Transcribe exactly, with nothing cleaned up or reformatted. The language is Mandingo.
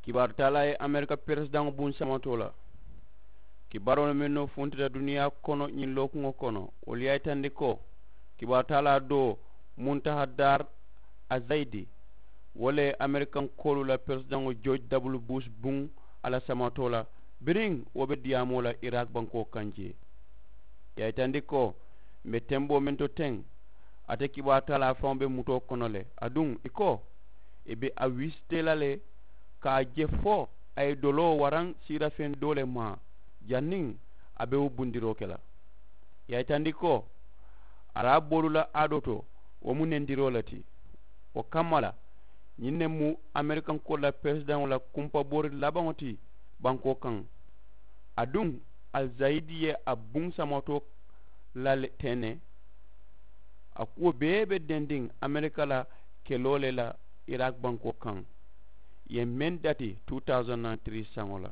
Kibaaru taalaa ye amerika peresidaŋo buŋ samatoo la. Kibaaroolu mennu funtita duniyaa kono ñiŋ lookuŋo kono wolu ye a yitandi ko kibaaru taalaa doo muntaha daar azayidi wo le ye amerikankoolu la peresidaŋo jooj dabulu buus buŋ a la samatoo la biriŋ wo be diyaamoo la iraaki bankoo kaŋ jee. I ye a yitandi ko m̀ be temboo meŋ to teŋ ate kibaaru taalaa faŋo be mutoo kono le aduŋ i ko i be a wisitee la le ka a je fo a ye doloo waraŋ siirafeŋ doo le maa janniŋ a be wo bundiroo ke la. I ye a yitandi ko araaboolu la aadoo to wo mu nendiroo le ti. Wo kamma la ñiŋ ne mu amerikankoolu la peresidaŋo la kumpaboori labaŋo ti bankoo kaŋ. Aduŋ alizayidi ye a buŋ samatoo la le teŋ ne a kuwo bee be dendiŋ amerika la keloo le la iraaki bankoo kaŋ. Ì ye meŋ dati two thousand and three saŋo la.